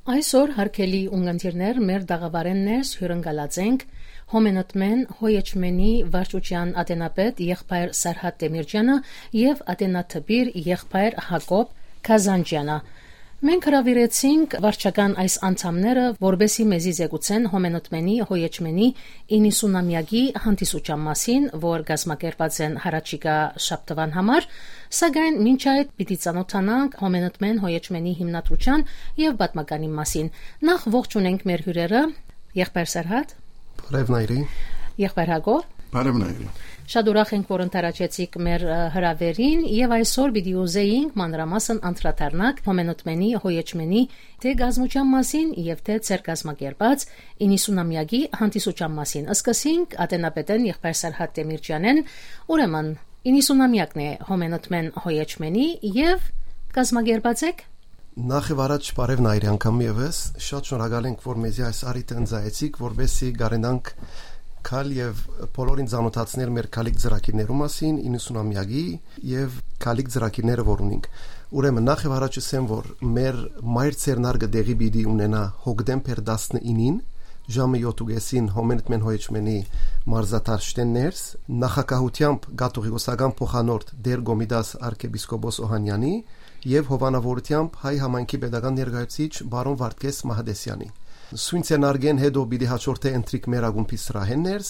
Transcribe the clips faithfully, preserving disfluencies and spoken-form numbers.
Այսօր, հարգելի ունգընտիրներ, մեր տաղաւարէն ներս հիւրընկալած ենք Հոմենտմեն Հոյեչմենի վարչության ատենապետ եղբայր Սարհատ Տեմիրճյանը եւ ատենատպիր եղբայր Յակոբ Քազանճյանը։ Մենք հրաւիրեցինք վարչական այս անդամները, որպեսզի մեզի զեկուցեն Հոմենտմենի Հոյեչմենի իննսունամեակի հանդիսության մասին, որ կազմակերպած են յառաջիկայ շաբթուան համար, սակայն մինչ այդ պիտի ծանօթանանք Հոմենտմեն Հոյեչմենի հիմնադրության եւ պատմականի մասին։ Նախ ողջունենք մեր հիւրերը, եղբայր Սարհատ։ Բարեւ Նայրի։ Եղբայր Յակոբ։ Բարեւ Նայրի։ Շատ ուրախ ենք, որ ընդառաջեցիք մեր, ը, հրաւերին եւ այսօր պիտի ուզեինք մանրամասն անդրադառնանք Հոմենտմենի Հոյեչմենի թէ կազմության մասին եւ թէ ձեր կազմակերպած իննսունամեակի հանդիսության մասին։ Սկսենք ատենապետէն եղբայր Սարհատ Տեմիրճյանէն, ուրեմն իննսունամեակն է Հոմենտմեն Հոյեչմենի եւ կազմակերպած եք։ Նախ եւ առաջ բարեւ Նայրի անգամ եւս, շատ շնորհակալ ենք, որ մեզի այս առիթը ընծայեցիք, որպեսզի կարենանք գալ եւ բոլորին ծանօթացնել մեր քալիք ծրագիրներու մասին, իննսունամեակի եւ քալիք ծրագիրները, որ ունինք։ Ուրեմն նախ եւ առաջ ասեմ, որ մեր մայր ձեռնարկը տեղի պիտի ունենայ հոկտեմբեր տասնինին, ժամը յոթ ու կեսին Հոմենտմեն Հոյեչմենի մարզադաշտէն ներս, նախագահությամբ կաթողիկոսական փոխանորդ Տեր Կոմիտաս արքեպիսկոպոս Օհանյանի եւ հովանաւորութեամբ հայ համայնքի պետական ներկայացուցիչ բարոն Վարդգես Մահդեսյանի։ Սոյն ձեռնարկէն հետո պիտի հաջորդէ ընթրիք մեր ակումբի սրահէն ներս,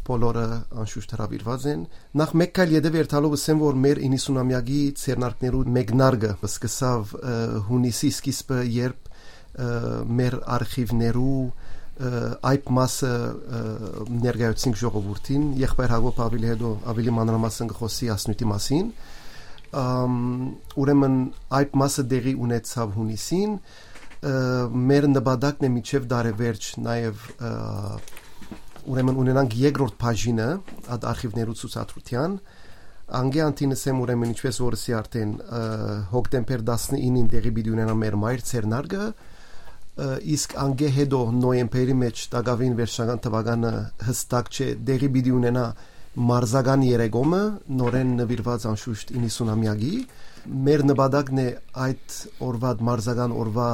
բոլորը անշուշտ հրաւիրուած են։ Նախ մէկ քայլ ետեւը երթալով, ասեմ, որ մեր իննսունամեակի ձեռնարկներու մեկնարկը սկսաւ, ը, յունիսի սկիզբը, երբ, ը, մեր արխիվներու, ը, այդ մասը, ը, ներկայացուցինք ժողովուրդին, եղբայր Յակոբ աւելի հետո, աւելի մանրամասն կը խօսի այս նիւթի մասին։ Ամ, ուրեմն այդ մասը տեղի ունեցաւ յունիսին, ը, մեր նպատակն է մինչեւ տարեվերջ նաեւ, ը, ուրեմն ունենանք երկրորդ բաժինը այդ արխիվներու ցուցադրութեան։ Անկէ անդին, ասեմ, ուրեմն, ինչպես որ ըսի արդեն, ը, հոկտեմբեր տասնինին տեղի պիտի ունենայ մեր մայր ձեռնարկը, ը, իսկ անկէ հետո նոյեմբերի մէջ տակաւին վերջնական թուականը յստակ չէ, տեղի պիտի ունենայ մարզական երեկոմը, նորէն նուիրուած անշուշտ իննսունամեակի։ Մեր նպատակն է այդ օրուա, մարզական օրուա,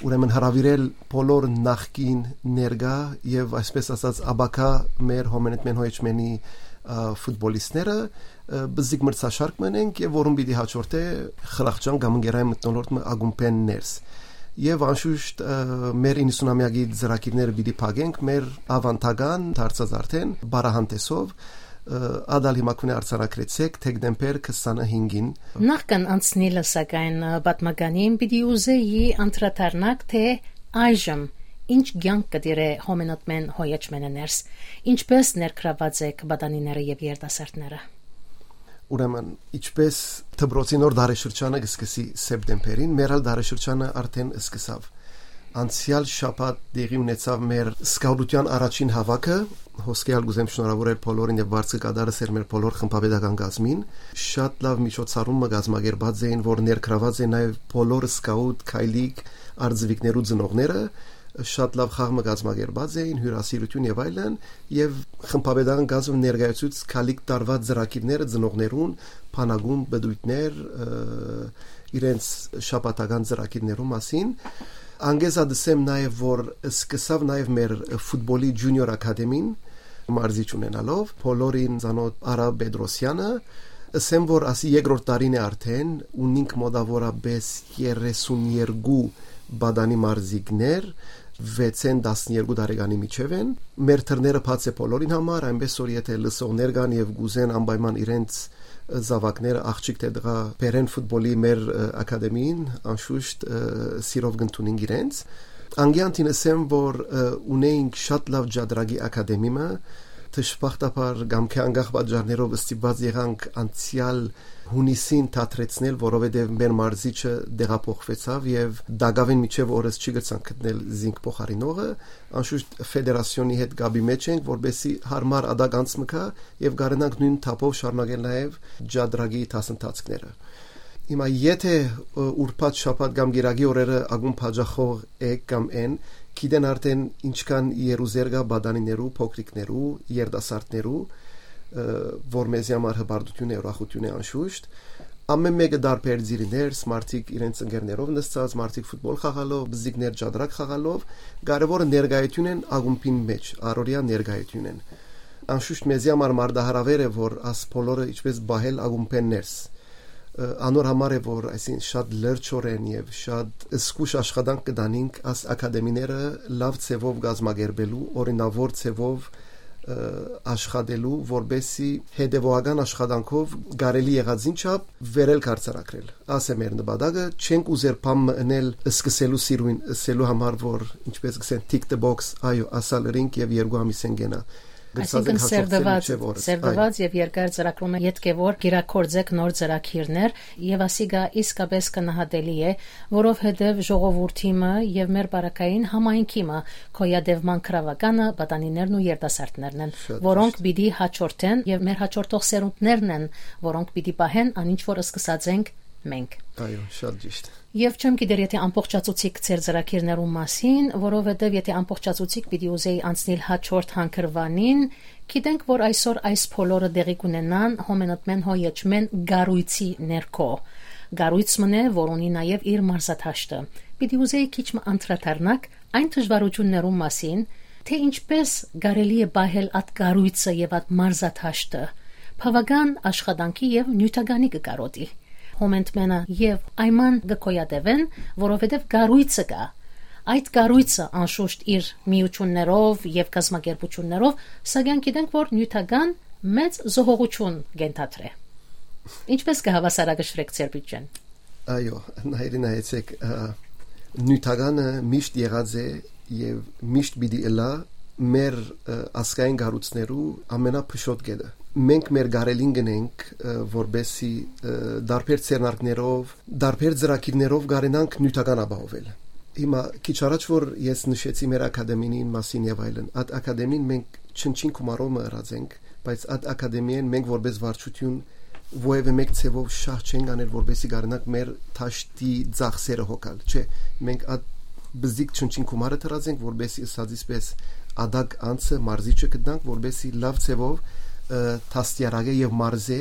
ուրեմն հրաւիրել բոլոր նախկին, ներկայ եւ, այսպես ասած, ապագայ մեր Հոմենտմեն Հոյեչմենի, ը, ֆուտբոլիստները, ը, բզիկ մրցաշարք մնենք եւ որուն պիտի հաջորդէ խրախճան կամ ընկերային մթնոլորտ մը ակումբէն ներս։ Եւ անշուշտ, ը, մեր իննսունամեակի ծրագիրները պիտի փակենք մեր ավանդական դարձած արդեն պարահանդեսով, ը, ատալ հիմա քունի արձանագրեցեք դեկտեմբեր քսանհինգին։ Նախքան անցնիլը, սակայն, ը, պատմականին պիտի ուզեի անդրադառնաք, թէ այժմ ինչ կյանք կը տիրէ Հոմենտմեն Հոյեչմենը ներս, ինչպես ներգրաված եք պատանիները եւ երիտասարդները։ Ուրեմն, ինչպես դպրոցի նոր դարաշրջանը կը սկսի սեպտեմբերին, մեր ալ դարաշրջանը արդեն սկսաւ։ Անցեալ շաբաթ տեղի ունեցաւ մեր սկաուտության առաջին հաւաքը, հոսքեալ կ'ուզեմ շնորհաւորել բոլորին եւ վարձը կատարս էր մեր բոլոր խմբապետական կազմին։ Շատ լաւ միջոցառում մը կազմակերպած էին, որ ներգրաված են նաեւ բոլոր սկաուտ, քայլիկ, արձվիկներու ծնողները, շատ լաւ խաղ մը կազմակերպած էին, հիւրասիրութիւն եւ այլն, եւ խմբապետական կազմը ներկայացուց քալիք տարուած ծրագիրները ծնողներուն, բանակում, բդոյթներ, ը, իրենց շաբաթական ծրագիրներու մասին։ Անգեզա դսեմ նաեւ, որ սկսաւ նաեւ մեր ֆուտբոլի Ջունիոր Ակադեմին, մարզիչ ունենալով, բոլորին ծանոթ Արա Պետրոսյանը, ըսեմ, որ ասի երկրորդ տարին է արդեն, ունինք մոտավորապես երեսուն երկու պատանի մարզիկներ, վեցէն տասներկու տարեկանի միջեւ են։ Մեր դռները բաց է բոլորին համար, այնպես որ եթե լսողներ կան եւ կ'ուզեն անպայման իրենց զաւակները, աղջիկ թէ տղայ, բերեն ֆուտբոլի մեր, ը, ակադեմիին, անշուշտ, ը, սիրով կ'ընդունենք իրենց։ Անգեանտին ըսեմ, որ, ը, ունեինք շատ լաւ ջատրակի ակադեմի մը, դժբախտաբար կամ քեանքախ պատճառներով ստիպված եղանք անցեալ յունիսին դադրեցնել, որովհետեւ մեր մարզիչը տեղափոխվեցաւ եւ տակաւին մինչեւ օրս չի կրցանք գտնել զինք փոխարինողը։ Անշուշտ ֆեդերասիոնի հետ կապի մեջ ենք, որպեսզի հարմար ատակ անց մը գայ եւ կարենանք նոյն թափով շարունակել նաեւ ջատրակի դասընթացքները։ Հիմա, եթե, ը, ուրբաթ, շաբաթ կամ կիրակի օրերը ակումբ հաճախող եք կամ են, գիտեն արդեն ինչքան երուզեր կայ պատանիներու, փոքրիկներու, երիտասարդներու, ը, որ մեզի համար հպարտութիւն է, ուրախութիւն է անշուշտ։ Ամէն մէկը տարբեր ծիրի ներս, մարդիկ իրենց ընկերներով նստած, մարդիկ ֆուտբոլ խաղալով, բզիկներ ճատրակ խաղալով, կարեւորը ներկայութիւն են ակումբին մէջ, առօրեայ ներկայութիւն են։ Անշուշտ մեզի համար մարտահրաւեր է, որ աս բոլորը ինչպես պահել ակումբէն ներս։ Ը, անոր համար է, որ այսին շատ լրջորեն եւ շատ զգուշ աշխատանք կը տանինք աս ակադեմիները լաւ ձեւով կազմակերպելու, օրինաւոր ձեւով, ը, աշխատելու, որպեսզի հետեւողական աշխատանքով կարելի եղածին չափ վերել կարծարակրել։ Աս է մեր նպատակը, չենք ուզեր բան մը ընել սկսելու սիրուն, ասելու համար, որ, ինչպես կսեն, tick the box, այո, ասալ ըրինք եւ երկու ամիս են կենայ։ Գցած Այսինքն ենք հաջող սերտված, մինչեւ օրս։ Սերտված Այո։ Եւ երկար ծրագրունը ետք է, որ կիրագործեք նոր ծրագիրներ, եւ ասիկա իսկապես գնահատելի է, որովհետեւ ժողովուրդի մը եւ մեր բարակային համայնքի մը գոյատեւման գրաւականը պատանիներն ու երիտասարդներն են, Շատ որոնք ճիշտ։ Պիտի հաջորդեն, եւ մեր հաջորդող սերունդներն են, որոնք պիտի պահեն ան ինչ որ սկսած ենք մենք։ Այո, շատ ճիշտ։ Եւ չեմ գիտեր, եթե ամբողջացուցիկ ձեր ծրագիրներուն մասին, որովհետեւ եթե ամբողջացուցիկ պիտի ուզեի անցնել հաջորդ հանգրուանին, գիտենք, որ այսօր այս բոլորը տեղի կունենան հոմենտմեն հոյեջմեն գառույցի ներքո։ Գառույց մնե, որ ունի նաեւ իր մարզադաշտը։ Պիտի ուզեի քիչ մը անդրադառնաք այն դժվարություններուն մասին, թե ինչպես կարելի է պահել այդ գառույցը եւ այդ մարզադաշտը բաւական աշխատանքի եւ նիւթականի կը կարոտի։ Հոմենտմենը եւ այման կը գոյատևեն, որովհետեւ կառույցը կա։ Այդ կառույցը անշուշտ իր միություններով եւ կազմակերպություններով, սակայն գիտենք, որ նիւթական մեծ զոհողություն կ'ենթադրէ։ Ինչպես կը հաւասարակշռեք ձեր բիւջեն։ Այո, նայրի նայեցեք, ը, նիւթականը միշտ եղած է եւ միշտ պիտի ըլլայ մեր, ը, ազգային կառույցներու ամենափշոտ կետը։ Մենք մեր գարելին գնենք, ը, որպեսզի, ը, տարբեր ձեռնարկներով, տարբեր ծրագիրներով կարենանք նիւթական ապահովել։ Հիմա քիչ առաջ որ ես նշեցի մեր ակադեմիին մասին եւ այլն, այդ ակադեմին մենք չնչին գումարով մը ըրած ենք, բայց այդ ակադեմիան մենք որպես վարչություն որևէ մեկ ձևով շահ չենք անել, որպեսզի կարենանք մեր դաշտի ծախսերը հոգալ։ Չէ, մենք այդ բզիկ չնչին գումարը դրած ենք, որպեսզի ըսածից պես ադակ անձը, մարզիչը գտնանք, որպեսզի լաւ ձևով, ը, դաստիարակե եւ մարզե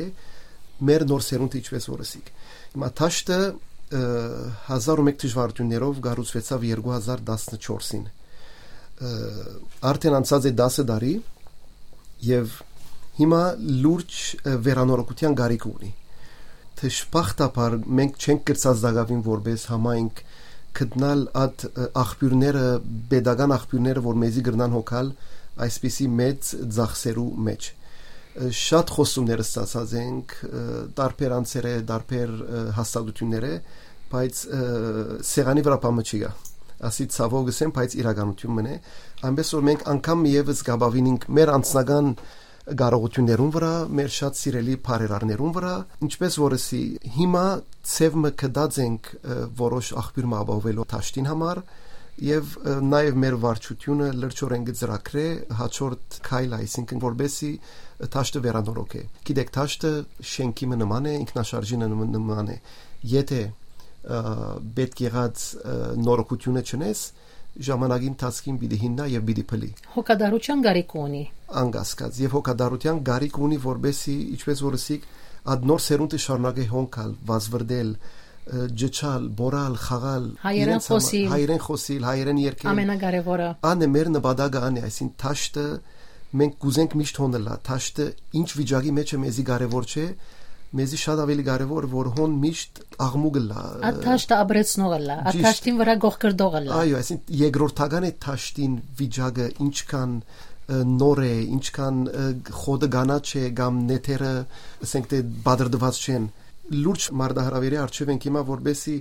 մեր նոր սերունդը, ինչպես որ ըսիք։ Հիմա դաշտը, ը, հազար ու մեկ դժվարություններով կառուցուեցաւ երկու հազար տասնչորսին։ Ը, արդեն անցած է տասը տարի եւ հիմա լուրջ, ը, վերանորոգության կարիք ունի։ Դժբախտաբար մենք չենք կրցած դակավին որպես համայնք գտնալ այդ, ը, աղբիւրները, պետական աղբիւրները, որ մեզի կրնան հոգալ այսպիսի մեծ ծախսերու մեջ։ Ը, շատ խոստումներ ստացած ենք, ը, տարբեր անձերէ, տարբեր, ը, հաստատություններէ, բայց, ը, սեղանի վրայ բան մը չի գայ։ Ասի ցաւով կ'ըսեմ, բայց իրականութիւն մըն է։ Այնպես որ մենք անգամ եւս կ'ապավինինք մեր անձնական կարողութիւններուն վրայ, մեր շատ սիրելի բարերարներուն վրայ, ինչպես որ ըսի, հիմա ձեւ մը գտած ենք, ը, որոշ աղբիւր մը ապահովելու դաշտին համար, եւ, ը, նաեւ մեր վարչությունը լրջորեն կը ծրագրէ հաջորդ քայլը, այսինքն որպեսզի դաշտը վերանորոգէ։ Գիտեք, դաշտը շենքի մը նման է, ինքնաշարժի նմ-, նման է։ Եթե, ը, պետք եղած, ը, նորոգութիւնը չնես, ժամանակի ընթացքին պիտի հիմնայ եւ պիտի փլի։ Հոգատարության կարիք ունի։ Անկասկած, եւ հոգատարության կարիք ունի, որպեսզի, ինչպես որ ըսիք, այդ նոր սերունդը շարունակէ հոնքալ, վազվրդել, ը, ջջալ, բորալ, խաղալ, Հայերէն իրենց համար, խոսիլ։ Հայերէն խոսիլ, հայերէն երգել։ Ամենակարևորը։ Ան է մեր նպատակը, ան է, այսինքն դաշտը մենք կուզենք միշտ հոն ըլլայ, դաշտը ինչ վիճակի մեջ է, մեզի կարևոր չէ, մեզի շատ ավելի կարևոր, որ հոն միշտ աղմուկ ըլլայ, Այդ դաշտը ապրեցնող ըլլայ, այդ Ճիշտ։ Դաշտին վրա գողկրդող ըլլայ։ Այո, այսինքն երկրորդական է դաշտին վիճակը, ինչքան, ը, նոր է, ինչքան, ը, խոտը կանաչ է կամ նեթերը, ասենք թե, բادرդուած չեն։ Լուրջ մարտահրավերի առջեւ ենք հիմա, որպեսզի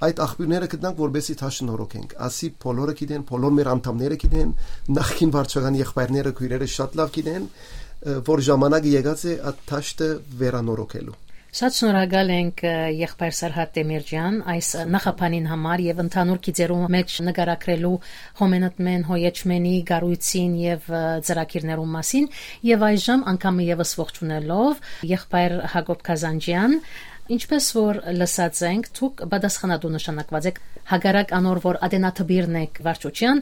այդ աղբիւրները գտնանք, որպեսզի դաշտը նորոգենք։ Ասի բոլորը գիտեն, բոլոր մեր անդամները գիտեն, նախկին վարչական եղբայրները, քույրերը շատ լաւ գիտեն, ը, որ ժամանակը եկած է այդ դաշտը վերանորոգելու։ Շատ շնորհակալ ենք, ը, եղբայր Սարհատ Տեմիրճեան, այս, ը, նախաբանին համար եւ ընդհանուր գիծերու մեջ նկարագրելու Հոմենտմեն հոյեջմենի կառույցին եւ, ը, ծրագիրներուն մասին, եւ այժմ անգամ եւս ողջունելով եղբայր Հակոբ Կազանջեան, Ինչպես որ լսած ենք, դուք պատասխանատու նշանակված եք, հակառակ անոր որ ատենատպիրն եք վարչութեան,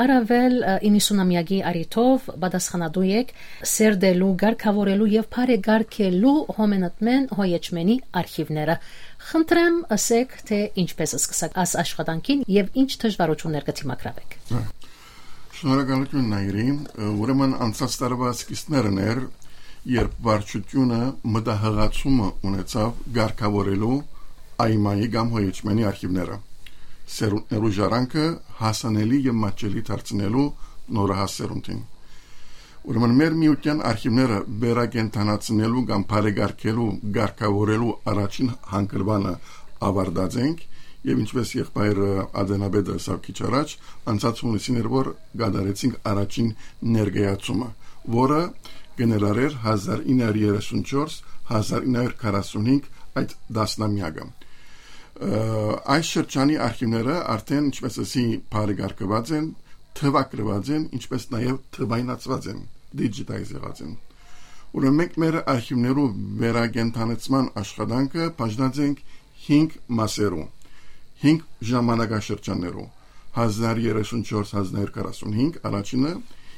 առաւել, ը, իննսունամեակի առիթով պատասխանատու եք սերտելու, կարգաւորելու եւ բարեկարգելու Հոմենտմեն Հոյեչմենի արխիվները։ Խնդրեմ, ըսեք, թե ինչպես սկսաք աս աշխատանքին եւ ինչ դժվարութիւններ կը դիմագրաւեք։ Շնորհակալութիւն, Նայիրի։ Ուրեմն անցած տարուայ սկիզբներն էր, երբ վարչութիւնը մտահղացումը ունեցաւ կարգաւորելու Այմայի կամ Հոյեչմենի արխիվները, սերունդներու ժառանգը հասանելի եւ մատչելի դարձնելու նորահաս սերունդին։ Ուրեմն մեր միութեան արխիվները վերակենդանացնելու կամ բարեկարգելու, կարգաւորելու առաջին հանգրուանը ավարտած ենք, եւ ինչպես եղբայրը Ադենապետը ըսաւ քիչ առաջ, անցած հունիսին էր, որ կատարեցինք առաջին ներկայացումը, որը կներառէր հազար ինը հարյուր երեսուն չորս, հազար ինը հարյուր քառասուն հինգ այդ տասնամեակը։ Ը, այս շրջանի արխիվները արդեն, ինչպես ասի, բարեկարգուած են, թուագրուած են, ինչպես նաեւ թուայնացուած են, դիջիտայզ եղած են։ Ուրեմն մենք մեր արխիվներու վերակենդանացման աշխատանքը բաժնած ենք հինգ մասերու, հինգ ժամանակաշրջաններու՝ հազար երեսուն չորս, հազար քառասուն հինգ առաջինը,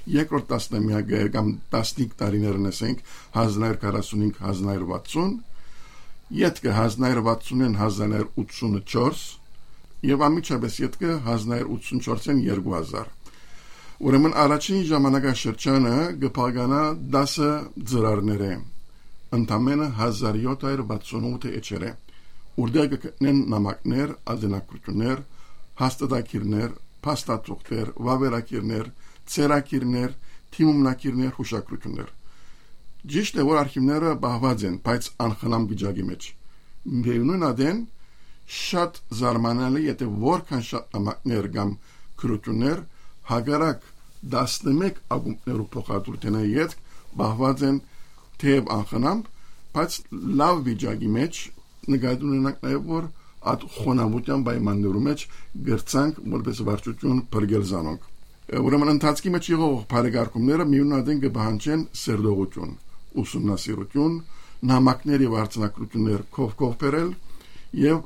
երկրորդ տասնամեակը կամ տասնհինգ տարիներն, ասենք, հազար քառասուն հինգ, հազար վաթսուն, ետքը հազար վաթսունէն հազար ութսուն չորս, եւ անմիջապէս ետքը հազար ութսուն չորսէն երկու հազար։ Ուրեմն առաջին ժամանակաշրջանը կը բաղկանայ տասը ծրարներէ, ընդամէնը հազար յոթ հարիւր վաթսուն ութ էջերէ, որտեղ կը գտնեն նամակներ, ատենագրութիւններ, հաստատագիրներ, փաստաթուղթեր, վաւերագիրներ, ձեռագիրներ, դիմումնագիրներ, յուշագրութիւններ։ Ճիշդ է, որ արխիվները պահուած են, բայց անխնամ վիճակի մեջ։ Միեւնոյն ատեն շատ զարմանալի է, թէ որքան շատ նամակներ կամ գրութիւններ, հակառակ տասնմէկ ակումբներու փոխադրութենէ ետք պահուած են թեեւ անխնամ, բայց լաւ վիճակի մեջ, նկատի ունենանք նաեւ, որ այդ խոնաւութեան պայմաններու մեջ կրցանք որպես վարչութիւն փրկել զանոնք։ Ուրեմն ընթացքի մեջ եղող բարեկարգումները միեւնոյն ատեն կը պահանջեն սերտողութիւն, ուսումնասիրութիւն, նամակներ եւ արձանագրութիւններ քով-քով բերել եւ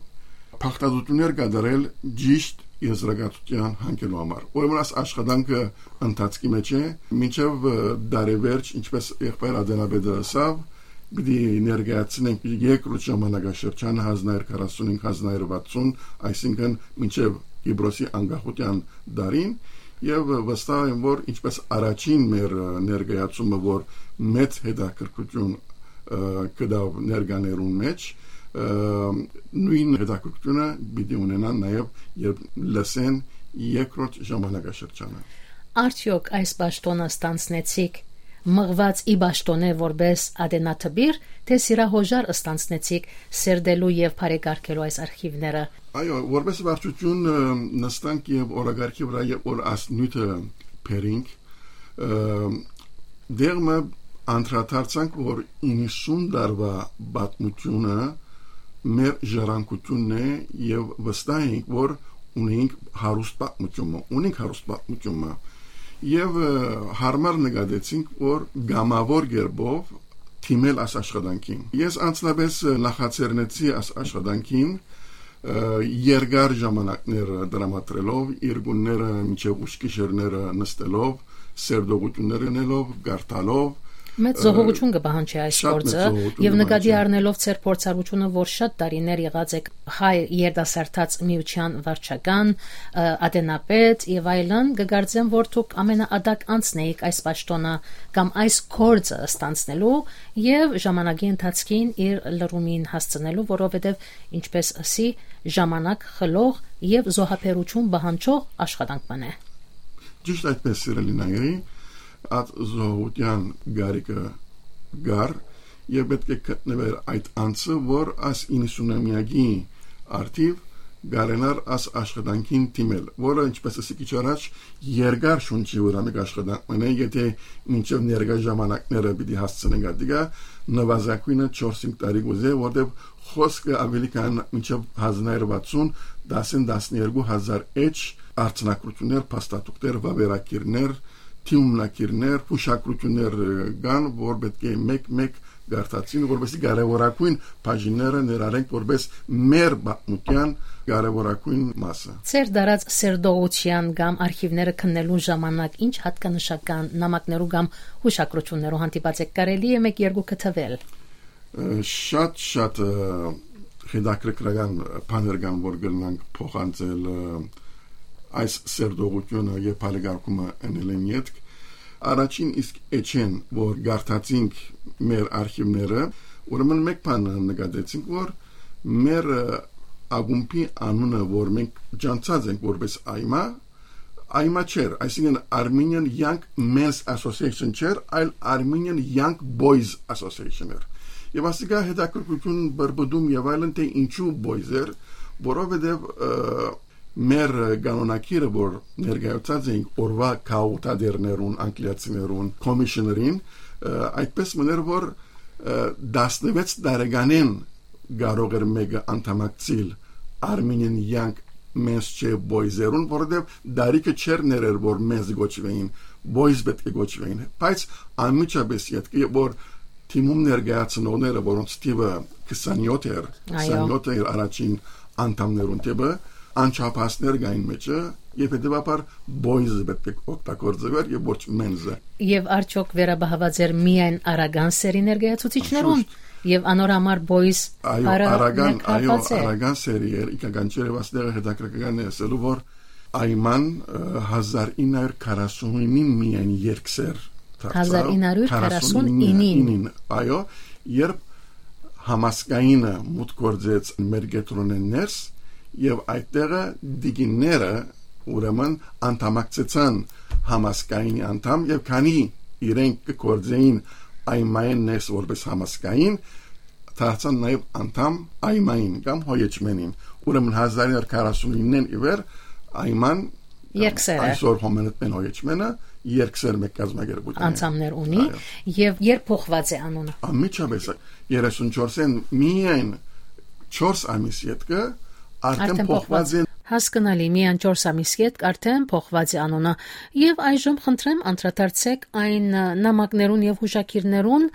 բաղդատութիւններ կատարել ճիշտ եզրակացութեան յանգելու համար։ Ուրեմն այս աշխատանքը ընթացքի մեջ է, մինչեւ, ը, տարեվերջ, ինչպես եղբայր Ադենապետը ըսաւ, պիտի ներկայացնենք երկրորդ ժամանակաշրջանը հազար քառասուն հինգ, հազար վաթսուն, այսինքն մինչեւ Կիպրոսի անկախութեան դարին, եւ վստահ եմ, որ ինչպես առաջին մեր, ը, ներկայացումը, որ մեծ հետաքրքրութիւն, ը, գտաւ ներկաներուն մեջ, ը, նոյն հետաքրքրութիւնը պիտի ունենան նաեւ, երբ լսեն երկրորդ ժամանակաշրջանը։ Արդեօք այս պաշտօնը ստանձնեցիք մղուած ի պաշտօնէ որպէս ատենատպիր, թէ սիրահոժար ստանձնեցիք սերտելու եւ բարեկարգելու այս արխիվները։ Այո, որպես վարչութիւն, ը, նստանք եւ օրակարգի վրայ եւ որ աս նիւթը բերինք, ը, դեղ մը անդրադարձանք, որ իննսուն տարուայ պատմութիւնը մեր ժառանգութիւնն է եւ վստահ ենք, որ ունենք հարուստ պատմութիւնը, ունենք հարուստ պատմութիւնը։ Եւ, ը, յարմար նկատեցինք, որ կամաւոր կերպով դիմել այս աշխատանքին։ Ես անձնապէս, ը, նախաձեռնեցի այս աշխատանքին, ը, երկար ժամանակներ տրամադրելով, երկունները մինչեւ ուշ գիշերները նստելով, սերտողութիւններ ընելով, կարդալով, Մեծ ը, զոհողութիւն կը պահանջի այս շատ մեծ գործը, զոհողութիւն եւ կը նկատի պահանջի։ Առնելով ձեր փորձառությունը, որ շատ տարիներ եղած եք հայ երիտասարդաց միութեան վարչական, ը, ատենապետ եւ այլն, կը կարծեմ, որ դուք ամենաատակ անձն էիք այս պաշտօնը կամ այս գործը ստանձնելու եւ ժամանակի ընթացքին իր լրումին հասցնելու, որովհետեւ, ինչպես ասի, ժամանակ խլող եւ զոհաբերութիւն պահանջող աշխատանք մը է։ Ճիշտ այդպես, սիրելի Նայիրի, այդ զոհուտեան գարիկը գար եւ պետք է գտնուեր այդ անձը, որ այս իննսունամեակի արդիվ կարենար այս աշխատանքին դիմել, որը, ինչպես ասի քիչ առաջ, երկար շունչի վրա մեկ աշխատանք մնա, եթե մինչեւ ներկայ ժամանակները պիտի հասցնենք ատիկա, նվազագույնը չորս-հինգ տարի կուզե, որտեւ խոսքը ավելի քան մինչեւ հազար վաթսուն, տասն, տասներկու հազար էջ արձանագրութիւններ, փաստաթուղթեր, վաւերագիրներ, դիմումնագիրներ, յուշագրութիւններ, ը, կան, որ պետք է մեկ-մեկ կարդացին, որպեսզի կարեւորագոյն բաժինները ներառենք որպես մեր պատմութեան կարեւորագոյն մասը։ Ձեր դարած սերտողութեան կամ արխիվները քննելու ժամանակ ինչ հատկանշական նամակներու կամ հուշագրություններու հանդիպած եք, կարելի՞ է մէկ երկուքը թվել։ Ը, շատ, շատ, ը, հետաքրքրական բաներ կան, որ կրնանք փոխանցել, ը, այս սերտողութիւնը եւ բարեկարգումը ընելէն ետք։ Առաջին իսկ էջէն, որ կարդացինք մեր արխիվները, ուրեմն մէկ բան նկատեցինք, որ մեր, ը, ակումբի անունը, որ մենք ճանչցած ենք որպես Այմա, Այմա չէր, այսինքն Armenian Young Men's Association չէր, այլ Armenian Young Boys Association էր։ Եւ ասիկա հետաքրքրություն, բրբդում եւ այլն, թե ինչու boys էր, որովհետեւ, ը, մեր կանոնագիրը, որ ներկայացած էինք օրվա գաղութատիրներուն, անգլիացիներուն, commissioner-ին, ը, այդպես մըն էր, որ, ը, տասնվեց տարեկանէն կարող էր մէկը անդամակցիլ Armenian Young Men's չէ boys-երուն, որովհետեւ դարիքը չէր ներեր, որ men's կոչուէին, boys պէտք է կոչուէին, բայց անմիջապէս ետքը, որ թիմում ներկայացնողները, որոնց թիվը քսանյոթ էր, Այո։ քսանյոթ էր առաջին անդամներուն թիվը, անչափահասներ կային մեջը, եւ հետեւաբար boys-ը պէտք է օգտագործուէր եւ ոչ men's-ը։ Եւ արդյոք վերաբահաւած էր միայն արական սերի ներկայացուցիչներուն, Անշուշտ։ Եւ անոր համար boys Այո, բառը արական, այո, ներկայացված է։ Արական սերի էր, իքական չէր, եւ աստեղը հետաքրքրական է ասելու, որ Այման, ը, հազար ինը հարյուր քառասունինին միայն երկսեր դարձաւ, հազար ինը հարյուր քառասունինը, քառասունինին։ Ինին, այո, երբ համասկայինը մուտք գործեց մեր կեդրոնէն ներս, եւ այդտեղը դիգինները, ուրեմն, անդամակցեցան համասկայինի անդամ, եւ քանի իրենք կը գործեին Այմայէն ներս որպես համասկային, դարձան նաեւ անդամ Այմային կամ Հոյեչմենին։ Ուրեմն հազար ինը հարյուր քառասունիննեն ի վեր Այման, Երկսերը։ Այսօր Հոմենտմեն Հոյեչմենը երկսեր մէկ կազմակերպութիւն է։ Անդամներ ունի Այո։ Եւ երբ փոխված է անունը։ Անմիջապէս երեսունչորսէն միայն չորս ամիս ետքը արդեն Արդեն փոխված փոխված։ են։ Հասկնալի, միայն չորս ամիս ետք արդեն փոխված է անունը։ Եւ այժմ խնդրեմ անդրադարձեք այն, ը, նամակներուն եւ հուշագիրներուն,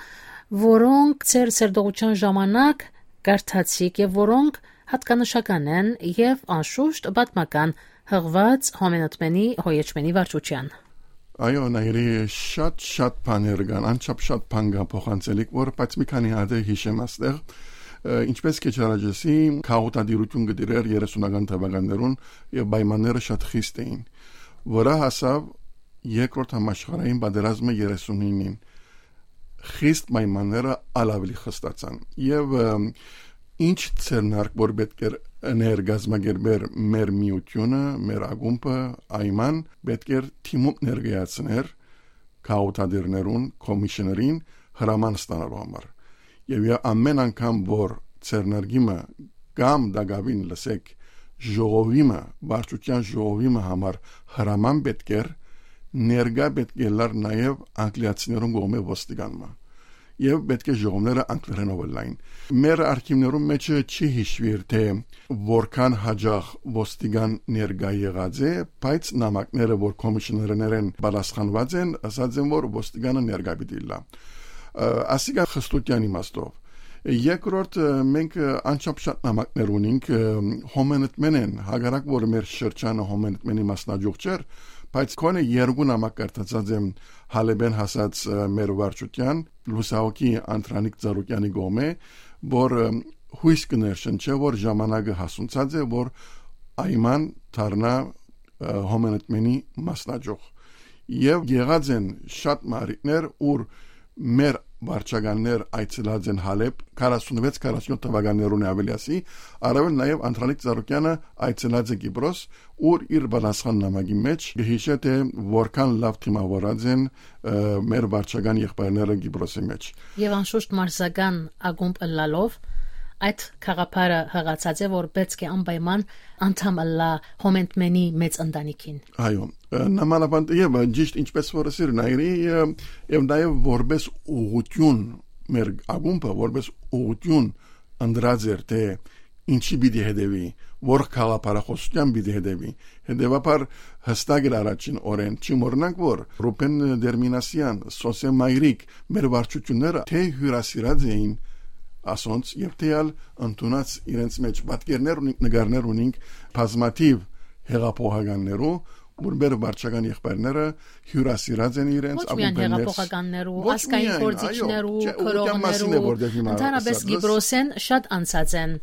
որոնք ձեր սերտողութեան ժամանակ կարդացիք եւ որոնք հատկանշական են եւ անշուշտ պատմական հղուած Հոմենտմենի Հոյեչմենի վարչութեան։ Այո, Նայիրի, շատ, շատ բաներ կան, անչափ շատ բան կա փոխանցելիք, որ, բայց մի քանի հատ է հիշեմ աստեղ։ Ը, ինչպես քիչ առաջ ասի, քաղաքատիրություն կը տիրեր երեսունական թվականներուն եւ պայմանները շատ խիստ էին։ Վրայ հասաւ երկրորդ համաշխարհային պատերազմը երեսունինին։ Խիստ պայմանները ալ աւելի խստացան։ Եւ, ը, ինչ ձեռնարկ որ պէտք էր ըներ կազմակերպեր մեր միութիւնը, մեր ակումբը, Այման, պէտք էր թիմում ներկայացներ քաղաքատիրներուն, commissioner-ին հրաման ստանալու համար։ Եւ ե-, ամեն անգամ որ ձեռնարկիմը կամ դակավին լսեք ժողովիմը, վարչության ժողովիմը համար հրաման պէտք էր, ներկայ պէտք է լար նաեւ անգլիացիներուն կողմէ ոստիկանմը։ Եվ պէտք է ժողովները անգլերենով ըլլային։ Մեր արխիվներուն մեջը չի հիշուիր, թե որքան հաճախ ոստիկան ներկայ եղած է, բայց նամակները, որ commissioner-ներեն պատասխանված են, ասած են, որ ոստիկանը ներկայ պիտի ըլլա։ Ը, ասիկա խստության իմաստով։ Երկրորդ, ը, մենք, ը, անչափ շատ նամակներ ունենք, ը, Հոմենտմենեն, հակառակ որ մեր շրջանը Հոմենտմենի մասնաճյուղ չէր, բայց քոնը երկու նամակ կարդացած եմ Հալեբեն հասած, ը, մեր վարչության, լուսահոգի Անդրանիկ Ծառուկյանի կողմէ, որ, ը, հույս կը ներշնչէ, որ ժամանակը հասունցած է, որ Այման դառնայ, ը, Հոմենտմենի մասնաճյուղ։ Եւ եղած են շատ մը առիթներ, ուր մեր վարչականներ այցելած են Հալեբ, քառասունվեց քառասունյոթ թվականներուն է, աւելի ասի, առաւել նաեւ Անդրանիկ Ծառուկյանը այցելած է Կիպրոս, ուր իր պատասխան նամակի մեջ կը հիշէ, թե որքան լաւ դիմաւորած են, ը, մեր վարչական եղբայրները Կիպրոսի մեջ։ Եւ անշուշտ մարզական ակումբ ըլլալով, այդ գաղափարը յղացած է, որ պէտք է անպայման անդամ ըլլայ Հոմենտմենի մեծ ընտանիքին։ Այո, ը, նամանավանդ եւ, ը, ճիշտ ինչպես որ ասիր Նայիրի, ը, եւ նաեւ որպես ուղղություն մեր ակումբը, որպես ուղղություն ընտրած էր, թե ինչի պիտի հետեւի, որ գաղափարախոսութեան պիտի հետեւի։ Հետեւաբար, յստակ էր առաջին օրէն, չի մոռնանք, որ Ռուբեն Տերմինասեան, Սօսե Մայրիկ, մեր վարչությունները թէ հիւրասիրած էին ասոնց եւ թէ ալ ընդունած իրենց մէջ պատկերներ ունինք, նկարներ ունինք բազմաթիւ հեղափոխականներու, որ մեր վարչական եղբայրները հիւրասիրած են իրենց Ոչ միայն ակումբներ։ հեղափոխականներու, Ոչ ազգային միայն, այո, գործիչներու, չէ, ուղղակի մասին է, քրոհներու, որ դեռ հիմա ընդհանրապես ասած ես։ Կիպրոսէն շատ անցած են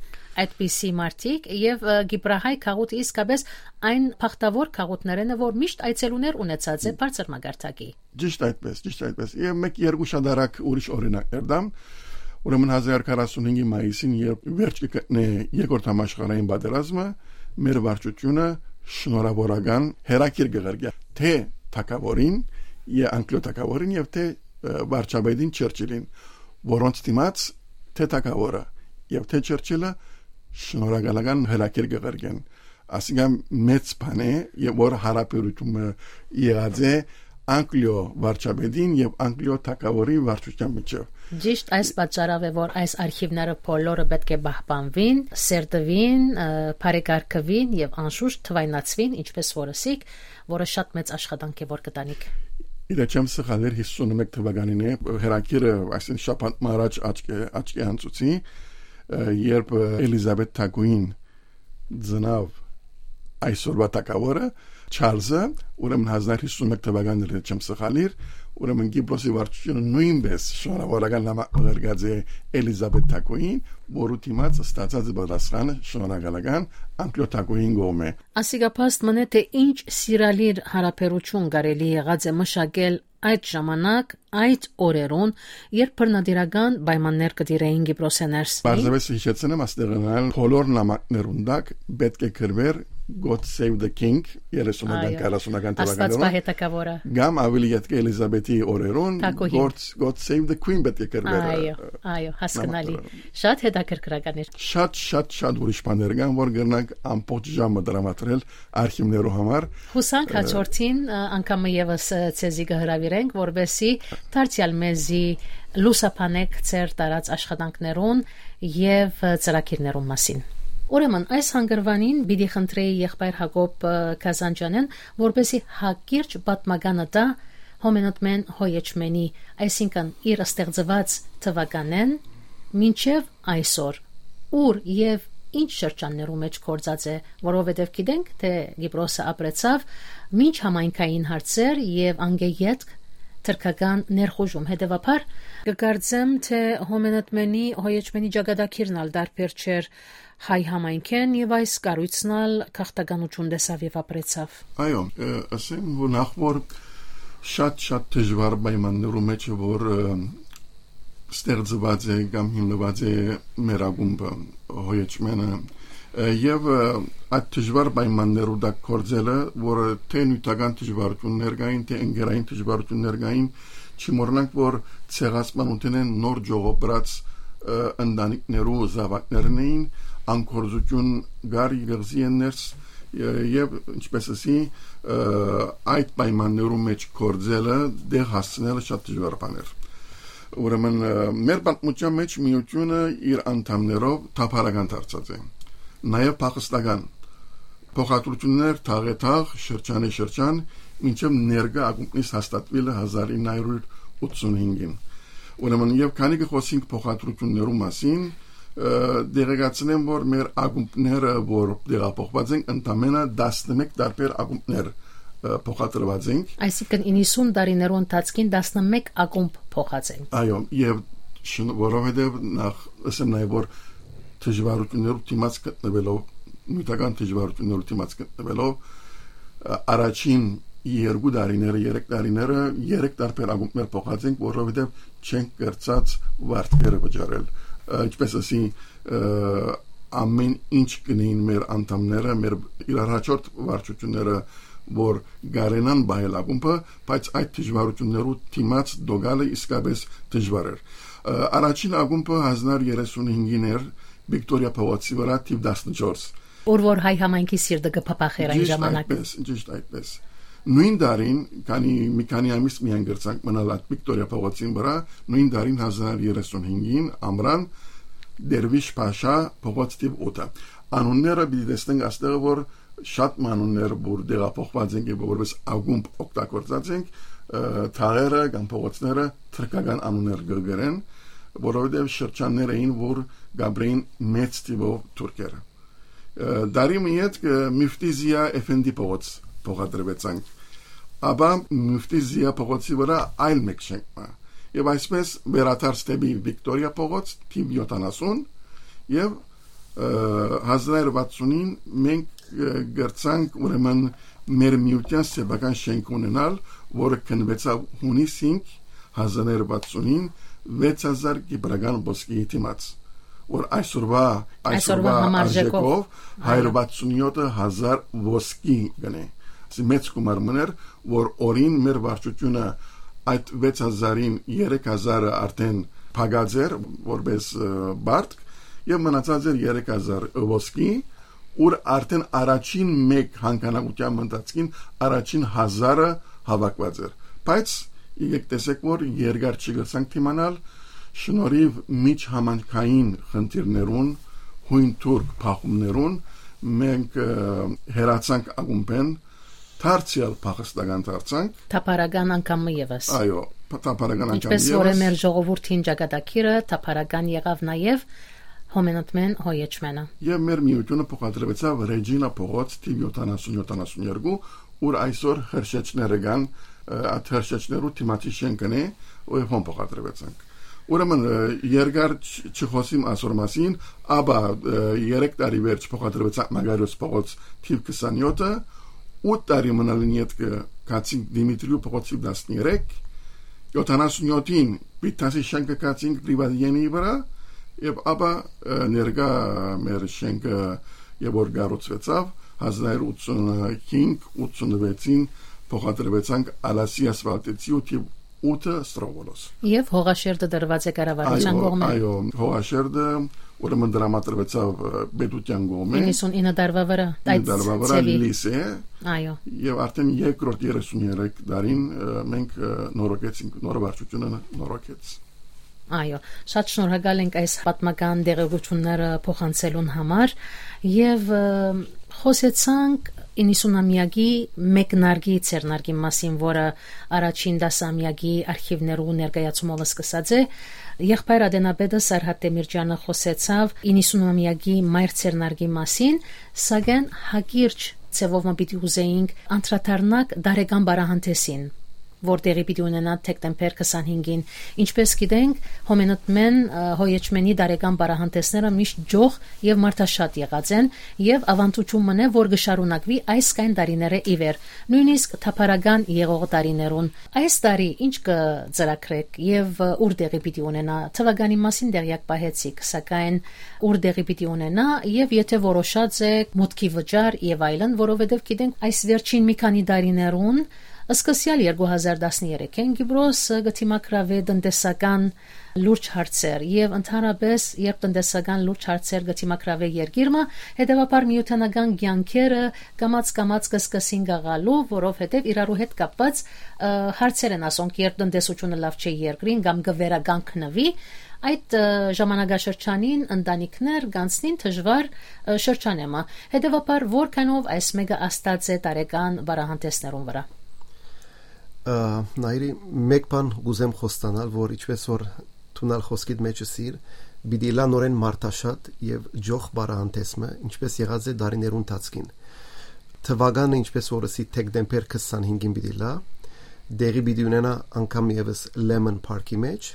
այդպիսի մարդիկ եւ, ը, կիպրահայ գաղութը իսկապես այն բախտաւոր գաղութներէն է, որ միշտ այցելուներ ունեցած է բարձր մակարդակի։ Ճիշտ այդպես, ճիշտ այդպես։ Եւ մեկ երկու շատ արագ ուրիշ օրինակներ տամ։ Ուրեմն հազար քառասունհինգի մայիսին, երբ վերջ կը գտնէ երկրորդ համաշխարհային պատերազմը, մեր վարչությունը շնորհավորական հերակիր կը ղրկէ թէ թագաւորին, եւ անկլիո թագաւորին եւ թէ, ը, վարչապետին Չերչիլին, որոնց դիմաց թէ թագաւորը եւ թէ Չերչիլը շնորհակալական հերակիր կը ղրկեն։ Ասիկա մեծ բան է, եւ որ հարաբերությունը եղած է անկլիո վարչապետին եւ անկլիո թագաւորի վարչության միջեւ։ Ճիշտ այս պատճառով է, որ այս արխիվները բոլորը պէտք է պահպանուին, սերտուին, ը, բարեկարգուին եւ անշուշտ թուայնացուին, ինչպես որ ըսիք, որը շատ մեծ աշխատանք է, որ կտանիք։ Իրաչեմ սխալեր հիսունմեկ թվականին է, հերակիրը, այսինքն շաբաթ մը առաջ աչք է, աչք է անցուցի, ը, երբ, ը, Էլիզաբեթ Թագուին ծնաւ այսօրվա թագաւորը, Չարլզը, ուրեմն հազար հիսունմեկ թվականին էր, չեմ սխալիր, ուրեմն Կիպրոսի վարչությունը նոյնպէս շնորհավորական նամակ ղրկած է Էլիզաբեթ Թագուին, որու դիմաց ստացած է պատասխանը շնորհակալական անկլիո թագուին կողմէ։ Ասիկա փաստ մնե, թէ ինչ սիրալիր հարաբերություն կարելի եղած է մշակել այդ ժամանակ, այդ օրերուն, երբ բռնատիրական պայմաններ կը տիրէին Կիպրոսէ ներս։ Պարզապէս հիշեցնեմ, աստեղանալ բոլոր նամակներուն տակ պէտք է գրվեր God Save the King, երեսունական, Այո։ քառասունական Աստված թվականներուն, պահէ թագաւորը։ Կամ ավելի ետքը Էլիզաբեթի օրերուն, Թագուհին։ God, God Save the Queen պէտք է գրվեր, Այո, ը, այո, հասկնալի։ նամակներուն։ Շատ հետաքրքրական էր։ Շատ, շատ, շատ ուրիշ բաներ կան, որ կրնանք ամբողջ ժամը տրամադրել արխիվներու համար։ Հուսանք Ը, հաջորդին, ը, անգամը ևս, ը, ձեզի կը հրավիրենք, որպեսզի դարձեալ մեզի լուսաբանեք ձեր տարած աշխատանքներուն եւ, ը, ծրագիրներուն մասին։ Ուրեմն, այս հանգրուանին պիտի խնդրեի եղբայր Յակոբ, ը, Գազանջանեն, որպեսզի հակիրճ պատմականը տայ Հոմենոտմեն Հոյեչմենի, այսինքն՝ իր ստեղծուած թվականէն մինչեւ այսօր, ուր եւ ինչ շրջաններու մէջ գործած է, որովհետեւ գիտենք, թէ Կիպրոսը ապրեցաւ մինչ համայնքային հարցեր եւ անկէ ետք թրքական ներխուժում։ Հետեւաբար, կը կարծեմ, թէ Հոմենտմենի, Հոյեչմենի ճակատագիրն ալ տարբեր չէր հայ համայնքէն եւ այս կառոյցն ալ գաղթականութիւն տեսաւ եւ ապրեցաւ։ Այո, ը, ասեմ, որ նախ որ շատ, շատ դժուար պայմաններու մէջ է, որ, ը, ստեղծուած է կամ հիմնուած է մեր ակումբը, Հոյեչմենը, ը, եւ, ը, այդ դժուար պայմաններու տակ գործելը, որը թէ նիւթական դժուարութիւններ կային, թէ ընկերային դժուարութիւններ կային, չի մոռնանք, որ ցեղասպանութենէն նոր ճողոպրած, ը, ընտանիքներու զաւակներն էին, անկորձութիւն կար կղզի են ներս, ը, եւ, ինչպես ասի, ը, այդ պայմաններու մէջ գործելը, դեղ հասցնելը շատ դժուար բան էր։ Ուրեմն, ը, մեր պատմության մէջ միութիւնը իր անդամներով թափառական դարձած է, նաեւ փախստական։ Փոխադրութիւններ թաղէ թաղ, շրջանէ շրջան, մինչեւ ներկայ ակումբնից հաստատուիլը հազար ինը հարիւր ութսունհինգին։ Ուրեմն, եւ քանի կը խօսենք փոխադրութիւններու մասին, ը, դեղեկացնեմ, որ մեր ակումբները, որ տեղափոխուած ենք, ընդամենը տասնմէկ տարբեր ակումբներ, ը, փոխադրուած ենք։ Այսինքն՝ իննսուն տարիներու ընթացքին տասնմէկ ակումբ փոխած ենք։ Այո, եւ շն-, որովհետեւ նախ, ասեմ նաեւ, որ դժուարութիւններու դիմաց գտնվելով, նիւթական դժուարութիւններու դիմաց գտնվելով, ը, առաջին երկու տարիները, երեք տարիները, երեք տարբեր ակումբներ փոխած ենք, որովհետեւ չենք կրցած վարձերը վճարել։ Ը, ինչպես ասի, ը, ամեն ինչ կնեին մեր անդամները, մեր իրարհաջորդ վարչությունները, որ գարենան պահել ակումբը, բայց այդ դժուարութիւններու դիմաց դոգալը իսկապես դժուար էր։ Ը, առաջին ակումբը հազար երեսունհինգին էր, Վիկտորիա փողոցի վրա, թիվ տասնչորս։ Ուր որ հայ համայնքի սիրտը կը փափախ էր այն Ճիշտ ժամանակ։ այդպես, ճիշտ այդպես։ Նոյն տարին, քանի, մի քանի ամիս միայն կրցանք մնալ այդ Վիկտորիա փողոցին վրա, նոյն տարին հազար երեսունհինգին ամրան Դերվիշ Փաշա փողոց թիվ ութը։ Անունները պիտի տեսնենք, աստեղը որ շատ մը անուններ որ տեղափոխված ենք եւ որպես ակումբ օգտագործած ենք, ը, թաղերը կամ փողոցները թրքական անուններ կը կրեն, որովհետեւ շրջաններ էին որ կապրեին մեծ թիվով թուրքերը։ Ը, դարի մը յետ կը Միֆտի Զիա Էֆենդի փողոց փոխադրվեցանք, ապա Միֆտի Զիա փողոցի վրա այլ մեկ շենք մը, եւ այսպես վերադարձ դեպի Վիկտորիա փողոց թիվ յոթանասուն, եւ, ը, հազար վաթսունին մենք, ը, գրցանք ուրեմն մեր միութեան սեփական շենք ունենալ, որը քննուեցաւ հունիս հինգ հազար վաթսունին վեց հազար կիպրական ոսկիի դիմաց, որ այսօրվա, այսօրվա այսօրվա համարժեքով արժեքով այո։ Հայր վաթսունյոթը հազար ոսկի գնե։ Ասի մեծ գումար մներ, որ օրին մեր վարչությունը այդ վեց հազարին երեք հազարը արդեն փակած էր որպես, ը, բարդք, եւ մնացած էր երեք հազար ոսկի, ուր արդեն առաջին մեկ հանգանակության ընթացքին առաջին հազարը հավաքված էր։ Բայց եկեք տեսեք, որ երկար չի գցանք դիմանալ, շնորհիվ միջհամանքային խնդիրներուն, հույն թուրք փախումներուն, մենք, ը, հեռացանք ակումբեն, դարձյալ փախստական դարձանք։ Թափառական անգամ մը ևս։ Այո, թափառական անգամ ինչպես որ է ևս։ Մեր ժողովուրդին ճակատագիրը, թափառական եղավ նաև Հոմենտմեն Հոյեչմենը։ Եւ մեր միութիւնը փոխադրվեցաւ Ռեջինա փողոց թիվ յոթանասուն յոթանասուն երկու, ուր այսօր հրշեջները կան, ը, այդ հրշեջներու դիմացի շենքն է, ու հոն փոխադրվեցանք։ Ուրեմն, ը, երկար չ-, չխոսիմ այսօր մասին, ապա, ը, երեք տարի վերջ փոխադրվեցանք Մագարիոս փողոց թիվ քսանյոթը, ութ տարի մնալին ետքը գացինք Դիմիտրիու փողոց թիվ տասներեք, յոթանասուն յոթին Պիտասի շենքը գացինք Պրիվատյենի վրա, եւ ապա, ը, ներկայ մեր շենքը, եւ որ կառուցվեցաւ, հազար ութսուն հինգ ութսուն վեցին փոխադրվեցանք Ալասի ասֆալտեցի ու թիվ ութը Ստրովոլոս։ Եվ հողաշերտը դրված է կառավարության այո, կողմէ։ Այո, հողաշերտը ուրեմն դրամատրվեցաւ, ը, պետության կողմէ։ Իննսուն ինը դարվա վրա, Ինը այդ դարվա վրա ծևի։ Լիսե։ Այո։ Եվ արդեն երկրորդ երեսուն երեք տարին, ը, մենք, ը, նորոգեցինք, նոր վարչությունը նորոգեց։ Այո, շատ շնորհակալ ենք այս պատմական տեղեկությունները փոխանցելուն համար եւ, ը, խոսեցանք իննսունամեակի մեկնարկի ձեռնարկի մասին, որը առաջին տասամեակի արխիվներու ներկայացումով սկսած է։ Եղբայր Ատենապետը Սարհատ Տեմիրճյանը խոսեցաւ իննսունամեակի մայր ձեռնարկի մասին, սակայն հակիրճ ձևով մը պիտի ուզեինք անդրադառնանք տարեկան պարահանդեսին, որ տեղի պիտի ունենա դեկտեմբեր քսանհինգին։ Ինչպես գիտենք, Հոմենտմեն, ը, Հոյեչմենի տարեկան պարահանդեսները միշտ ջող եւ մարդաշատ եղած են, եւ աւանդութիւն մնայ, որ կը շարունակուի այս կայն տարիները ի վեր, նոյնիսկ թափառական եղող տարիներուն։ Այս տարի ի՞նչ կը ծրագրեք եւ, ը, ո՞ւր տեղի պիտի ունենա։ Թվականի մասին տեղյակ պահեցիք, սակայն ո՞ւր տեղի պիտի ունենա, եւ եթէ որոշած եք մուտքի վճար եւ այլն, որովհետեւ գիտենք, այս վերջին մի քանի տարիներուն, սկսեալ երկու հազար տասներեքէն Կիպրոս, ը, կը դիմագրաւէ տնտեսական լուրջ հարցեր, եւ ընդհանրապես, երբ տնտեսական լուրջ հարցեր կը դիմագրաւէ երկիր մը, հետեւաբար միութենական կեանքերը կամաց-կամաց կը սկսին գաղալու, որովհետեւ իրարու հետ կապված, ը, հարցեր են ասոնք, երբ տնտեսությունը լաւ չէ երկրին կամ կը վերականգնուի, այդ, ը, ժամանակաշրջանին ընտանիքներ կանցնին դժուար, ը, շրջանէ մը։ Հետեւաբար, որքանով այս մէկը ազդած է տարեկան պարահանդեսներուն վրա։ Ը, Նայիրի, մեկ բան կուզեմ խոստանալ, որ ինչպես որ դուն ալ խոսքիդ մեջ ըսիր, պիտի ըլլայ նորէն մարդաշատ եւ ջող պարահանդես մը, ինչպես եղած է տարիներու ընթացքին։ Թվականը, ինչպես որ ըսի, դեկտեմբեր քսանհինգին պիտի ըլլայ, տեղի պիտի ունենայ անգամ ևս Lemon Park-ի մեջ,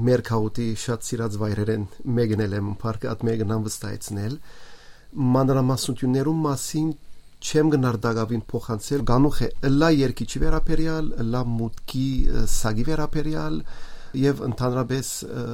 մեր քաղաքի շատ սիրած վայրերէն մէկն է Lemon Park-ը, ատ մէկն անվստահեցնել։ Մանրամասնություններուն մասին չեմ գնար տակաւին փոխանցել, գանուխ է, ըլլայ երկիչի վերաբերեալ, ըլլայ մուտքի, ը, սակի վերաբերեալ եւ ընդհանրապես, ը,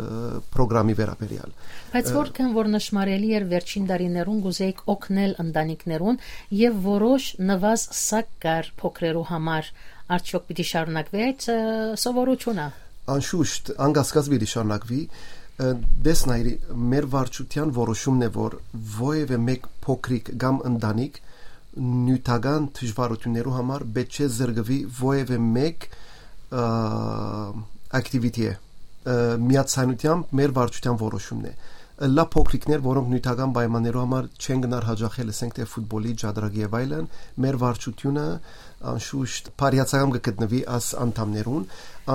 պրոգրամի վերաբերեալ։ Բայց ը, որքան որ նշմարելի էր, վերջին տարիներուն կուզեիք օգնել ընտանիքներուն եւ որոշ նուազ սակ կար փոքրերու համար, արդյոք պիտի շարունակվի այդ, ը, սովորությունը։ Անշուշտ, անկասկած պիտի շարունակվի։ Ը, դես Նայիրի, մեր վարչության որոշումն է, որ որևէ մեկ փոքրիկ կամ ընտանիք նիւթական դժվարութիւններու համար պէտք չէ զրկուի որևէ մեկ, ը, activity-ը։ Ը, միացայնութեամբ մեր վարչության որոշումն է։ Լա փոքրիկներ, որոնք նիւթական պայմաններու համար չեն գնար հաճախել, ասենք թէ ֆուտբոլի, ջադրագի եւ այլն, մեր վարչութիւնը անշուշտ բարյացակամ կը գտնուի աս անդամներուն,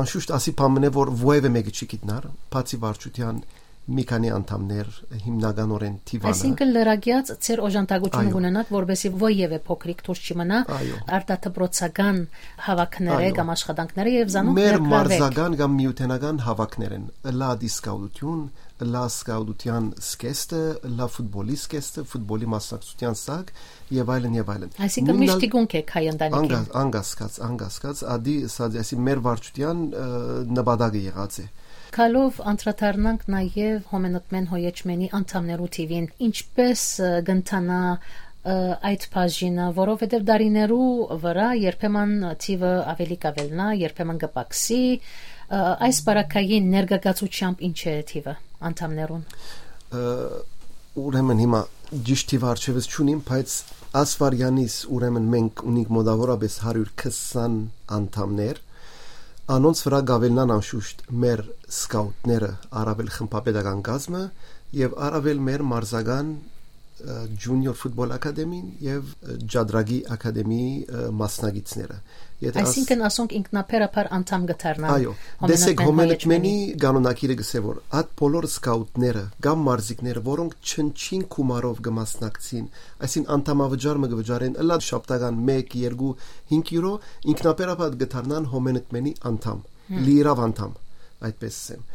անշուշտ ասի բան մնե, որ ոեւէ մեկը չի գիտնար, բացի վարչութեան մի քանի անդամներ հիմնականորեն թիվանը։ Այսինքն՝ լրագեաց ձեր օժանդակությունը Այո։ կունենաք, որպեսզի ոեւէ փոքրիկ դուրս չի մնա Այո։ արտադպրոցական հավաքները Այո։ կամ աշխատանքները եւ զանոնք Մեր ներգրավեք։ մարզական կամ միութենական հավաքներ են, լա դիսկաուտություն, լա սկաուտության սկեստը, լա ֆուտբոլի սկեստը, ֆուտբոլի մասնակցության սակ եւ այլն եւ այլն։ Այսինքն՝ Նույնն միշտ ալ թիկունք եք հայ ընտանիքին։ Անգա-, անգասկած, անգասկած, ադի սա դեսի մեր վարչության, ը, նպատակը եղած է։ Գալով անդրադառնանք նաեւ Հոմենտմեն Հոյեչմենի անդամներու թիվին, ինչպես, ը, կընթանա, ը, այդ բաժինը, որովհետեւ դարիներու վրայ երբեմն թիվը ավելի կավելնա, երբեմն կպակսի, ը, այս պարագային ներգաղթացությամբ ինչ է թիվը անդամներուն։ Ը, ուրեմն հիմա ճիշտ թիվը առջեւս չունիմ, բայց ասվարյանից ուրեմն մենք ունենք մոտավորապես հարիւր քսան անդամներ, անոնց վրայ կավելնան անշուշտ մեր սկաուտները, առավել խմբապետական կազմը եւ առավել մեր մարզական, ը, Junior Football Academy-ն եւ, ը, Ջադրագի Ակադեմիի, ը, մասնակիցները։ Եթե աս- Այսինքն՝ ասոնք ինքնաբերաբար անդամ կը դառնան Այո, Հոմենտմեն տեսեք, Հոմենտմենի Հոյեչմենի կանոնակիրը գսե որ այդ բոլոր սկաուտները կամ մարզիկները, որոնք չնչին գումարով կը մասնակցին, այսինքն՝ անդամավճար մը կը վճարեն, ըլլա շաբթական մեկ, երկու, հինգ յուրո, ինքնաբերաբար կը դառնան Հոմենտմենի անդամ, Հմ։ լիիրաւ անդամ, այդպես ասեմ։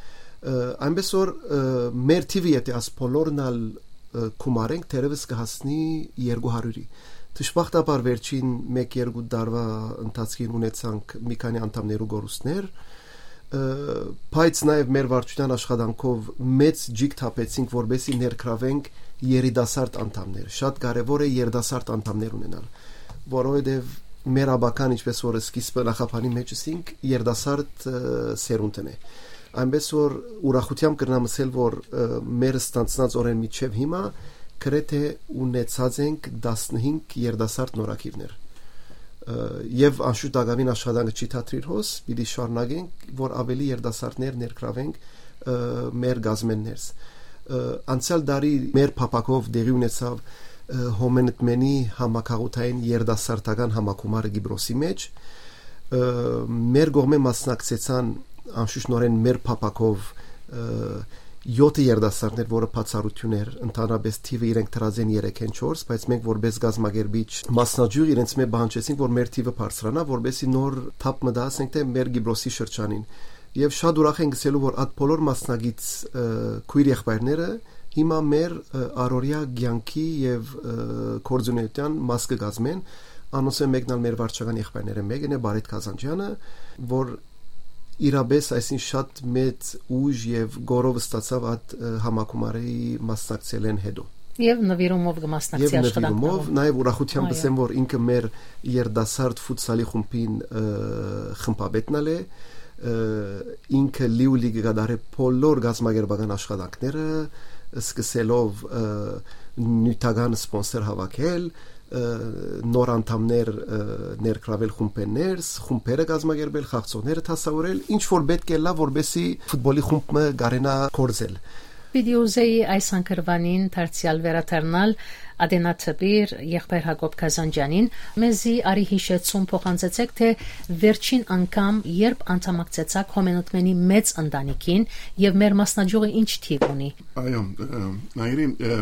Ը, այնպես որ, ը, մեր թիվը, եթե աս բոլորն ալ, ը, գումարենք, թերևս կը հասնի երկու հարիւրի։ Դժբախտաբար վերջին մեկ-երկու տարուա ընթացքին ունեցանք մի քանի անդամներու կորուստներ, ը, բայց նաեւ մեր վարչության աշխատանքով մեծ ջիգ թափեցինք, որպեսզի ներգրավենք երիտասարդ անդամներ։ Շատ կարեւոր է երիտասարդ անդամներ ունենալ, որովհետեւ մեր աբական, ինչպես որ սկիզբը նախաբանի մեջ ասինք, երիտասարդ, ը, սերունդն է։ Այնպես որ ուրախութեամբ կրնամ ասել, որ, ը, մեր ստանցնած օրէն մինչեւ հիմա գրեթե ունեցած ենք տասնհինգ երիտասարդ նորագիրներ։ Ը, եւ անշուշտ ակամին աշխատանքը չի թատրիր հոս, պիտի շարունակենք, որ ավելի երիտասարդներ ներգրավենք, ը, մեր գազմեն ներս։ Ը, անցյալ տարի մեր փափակով տեղի ունեցավ, ը, Հոմենտմենի համագաղութային երիտասարդական համագումարը Կիպրոսի մեջ։ Ը, մեր կողմէ մասնակցեցան անշուշտ նորեն մեր փափակով, ը, յոթը երիտասարդներ, որը բացառություն էր, ընդհանրապես թիվը իրենք դրած են երեքէն չորս, բայց մենք որպես կազմակերպիչ մասնաճյուղ իրենց մէ պահանջեցինք, որ մեր թիվը բարձրանայ, որպեսզի նոր թափ մը տայ, ասենք թէ մեր Կիպրոսի շրջանին։ Եւ շատ ուրախ ենք գսելու, որ այդ բոլոր մասնակից, ը, քոյր եղբայրները հիմա մեր, ը, առօրյա կեանքի եւ, ը, գործունեության մաս կը կազմեն, անոնցմէ մեկն ալ մեր վարչական եղբայրներէն մեկն է, Բարետ Կազանջյանը, որ իրապես այսին շատ մեծ ուժ եւ գորով ստացավ այդ, ը, համագումարի մասնակցելէն հետո։ Եվ նվիրումով կը մասնակցի Եվ նվիրումով, աշխատանքներուն։ Նաեւ ուրախութեամբ Այո։ Ասեմ, որ ինքը մեր երիտասարդ ֆուտսալի խումբին, ը, խմբապետն ալ է, ը, ինքը լիուլի կը կատարէ բոլոր գազմագերբական աշխատանքները, սկսելով, ը, նիւթական սպոնսոր հավաքել, ը, նոր անդամներ, ը, ներգրավել խումբերներս, խումբերը կազմակերպել, խաղցողները դասավորել, ինչ որ պէտք է լա, որպեսզի ֆուտբոլի խումբ մը կարենայ գործել։ Պիտի ուզեի այս հանգրուանին դարձեալ վերադառնալ Ատենա Թպիր, եղբայր Յակոբ Կազանջանին, մեզի արի յիշեցում փոխանցեցեք, թէ վերջին անգամ երբ անդամակցեցաք Հոմենտմենի մեծ ընտանիքին եւ մեր մասնաճյուղը ինչ թիվ ունի։ Այո, ը, Նայիրի, ը,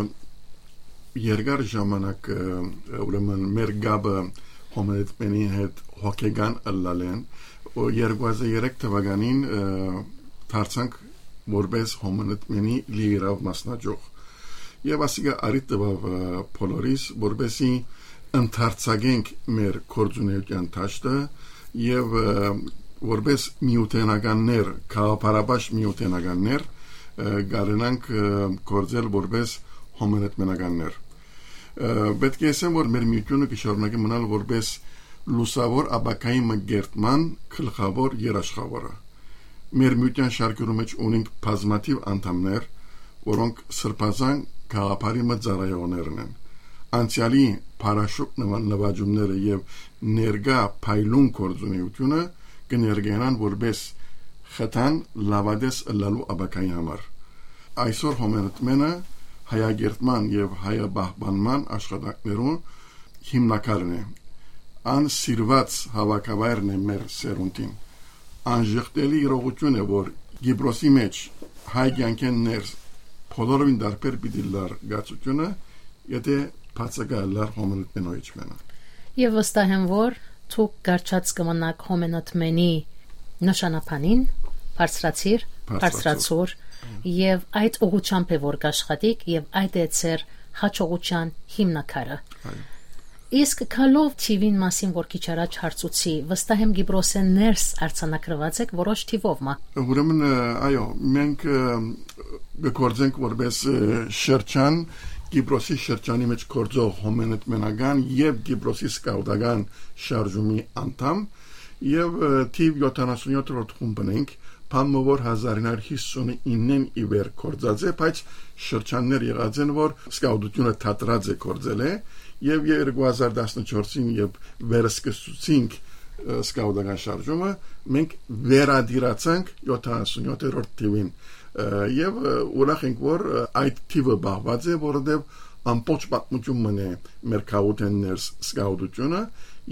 երկար ժամանակ, ը, ուրեմն մեր կապը Հոմենտմենի հետ հոգեկան ըլլալեն, ու երկու հազար երեք թվականին, ը, դարձանք որպես Հոմենտմենի լիիրաւ մասնաճյուղ։ Եվ ասիկա արիթ տուաւ, ը, բոլորիս, որպեսի ընդարձակենք մեր գործունեության դաշտը եւ, ը, որպես միութենականներ, գաղափարապաշտ միութենականներ, ը, կարենանք, ը, գործել որպես հոմենտմենականներ։ Ը, պէտք է ասեմ, որ մեր միութիւնը կը շարունակի մնալ որպես լուսաւոր ապագայի մը կերտման գլխաւոր երաշխավորը։ Մեր միութեան շարքերու մէջ ունենք բազմաթիւ անդամներ, որոնք սրբազան գաղափարի մը ծառայողներն են։ Անցեալի փարաշուկ նման նվաճումները եւ ներկայ փայլուն գործունեությունը կը ներկայանան որպես խթան լաւատես ըլլալու ապագայի համար։ Այսօր Հոմէնտմէնը հայագերտման եւ հայապահպանման աշխատանքներուն հիմնակարն է։ Ան սիրուած հաւաքավայրն է մեր սերունդին։ Անժխտելի իրողութիւն է, որ Կիպրոսի մէջ հայ կեանքէն ներս բոլորովին տարբեր պիտի լար գացությունը, եթե բացակայ լար Հոմէնտմէնոյ իջմենը։ Եւ վստահ եմ, որ դուք կառչած կը մնաք Հոմէնտմէնի նշանաբանին, բարձրացիր, Բարձրացուր։ բարձրացուր, եւ այդ ուղղությամբ է, որ կաշխատիք, եւ այդ է ձեր հաջողության հիմնակարը։ Այո։ Իսկ գալով թիվին մասին, որ քիչ առաջ հարցուցի, վստահ եմ Կիպրոսէն ներս արձանագրուած եք որոշ թիվով մը։ Ուրեմն, ը, այո, մենք, ը, կը գործենք որպես, ը, շրջան, Կիպրոսի շրջանի մեջ գործող Հոմէնտմենական եւ Կիպրոսի սկաուտական շարժումի անդամ, եւ, ը, թիվ յոթանասունյոթերորդ խումբն ենք, բան մը որ հազար ինը հարիւր հիսունիննէն ի վեր գործած է, բայց շրջաններ եղած են, որ սկաուտությունը դադրած է գործել է, եւ երկու հազար տասնչորսին, երբ վերսկսեցինք, ը, սկաուտական շարժումը, մենք վերադիրացանք յոթանասունյոթերորդ թիվին, ը, եւ, ը, ուրախ ենք, որ, ը, այդ թիվը պահուած է, որովհետեւ ամբողջ պատմություն մնե մեր քաղաքէն ներս սկաուտությունը,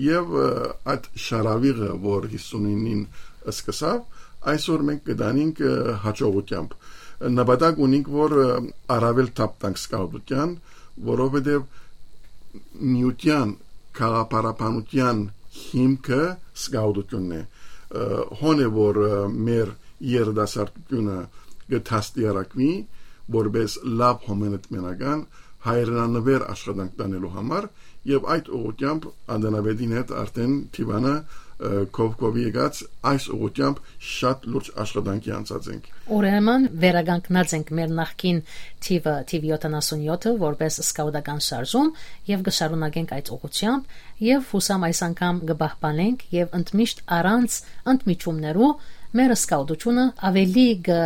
եւ, ը, այդ շարաւիղը, որ հիսունինին սկսաւ, այսօր մենք կդանենք, ը, հաջողությամբ։ Նպատակ ունենք, որ, ը, առավել թափ տանք սկաուտության, որովհետեւ միության, քաղաքապարապանության հիմքը սկաուտությունն է։ Ը, հոն է, որ, ը, մեր երիտասարդությունը կը դաստիարակուի որպես լաւ Հոմէնտմենական հայրենանվեր աշխատանք տանելու համար, եւ այդ ուղղությամբ Անդանապետին հետ արդեն Թիվանը, ը, քովքովի եկած, այս ուղղությամբ շատ լուրջ աշխատանքի անցած ենք։ Ուրեմն վերականգնած ենք մեր նախկին թիվը, թիվ յոթանասունյոթը, որպես սկաուտական շարժում, եւ կը շարունակենք այդ ուղղությամբ, եւ յուսամ այս անգամ կը պահպանենք, եւ ընդմիշտ առանց ընդմիջումներու մեր սկաուտությունը աւելի կը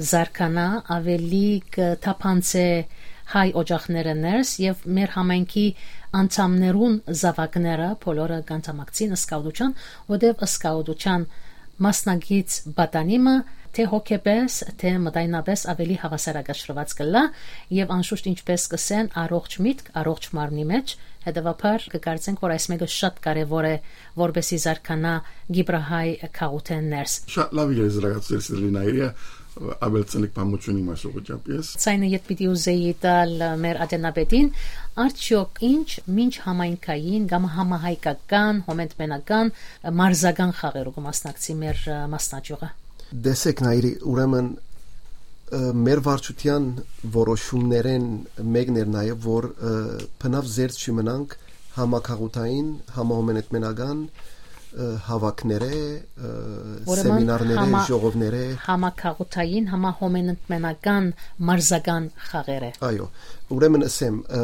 զարգանայ, աւելի կը թափանցէ հայ օջախները ներս, եւ մեր համայնքի անդամներուն զաւակները բոլորը կանդամակցին սկաուտության, որտեւ սկաուտության մասնակից պատանիմը թէ հոգեպէս, թէ մտայնապէս աւելի հաւասարակշռուած կ'ըլլայ, եւ անշուշտ, ինչպէս կ'ըսեն, առողջ միտք, առողջ մարմնի մէջ, հետեւաբար կը կարծենք, որ այս մէկը շատ կարեւոր է, որպէսզի զարգանայ կիպրահայ քաղաքէն ներս։ Շատ լաւ եզրակացուցեր, սիրելի Նայիրիա, աւելցնեք բանմուչունի մաս ուղղությամբ ես։ Ցայնը ետ պիտի ուզեի տալ մեր ատենապետին, արդյոք ինչ մինչ համայնքային կամ համահայկական, հոմէնտմենական, մարզական խաղերու կը մասնակցի մեր, ը, մասնաճիւղը։ Տեսեք, Նայիրի, ուրեմն, ը, մեր վարչության որոշումներէն մեկն էր նաեւ, որ, ը, բնաւ զերծ չի մնանք համակաղութային, համահոմէնտմենական, ը, հաւաքներէ, ը, Ուրեմն սեմինարներէ, համա-, ժողովներէ։ Համակաղութային, համահոմէնտմենական մարզական խաղերէ։ Այո, ուրեմն ըսեմ, ը,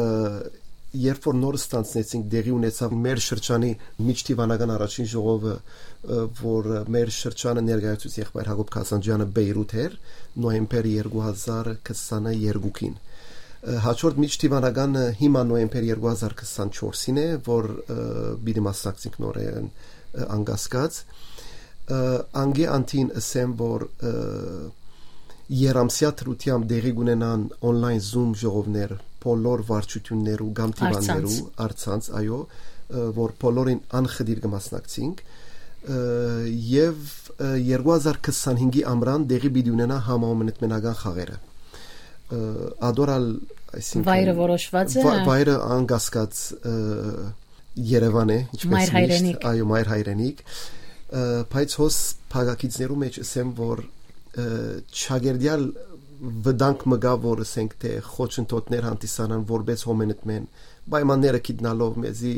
երբ որ նոր ստանձնեցինք, տեղի ունեցաւ մեր շրջանի միջդիվանական առաջին ժողովը, ը, որ մեր շրջանը ներկայացուց եղբայր Հակոբ Քասանջյանը Բեյրութ էր, նոյեմբեր երկու հազար քսանեքին։ Ը, հաջորդ միջդիվանականը հիմա նոյեմբեր երկու հազար քսանչորսին է, որ, ը, պիտի մասնակցենք նորէն, ը, անկասկած։ Ը, անգե անդին ըսեմ, որ, ը, երամսյա դրությամբ տեղի կունենան online Zoom ժողովներ բոլոր վարչություններու կամ դիվաններու, առցանց, այո, ը, որ բոլորին անխտիր կը մասնակցենք, ը, եւ, ը, երկու հազար քսանհինգի ամրան տեղի պիտի ունենայ համահոմէնտմենական խաղերը։ Ը, ադոր ալ, այսինքն, Վայրը որոշված է, վա-, հա։ Վայրը անկասկած, ը, Երևան է, ինչպես Մայր միշտ, հայրենիք։ Այո, մայր հայրենիք, ը, բայց հոս փակագիծներու մեջ ըսեմ, որ, ը, չագերդեալ վտանգ մը կայ, որ, ըսենք, թէ խոչընդոտներ հանդիսանան որպես հոմենտմեն, պայմանները գիտնալով մեզի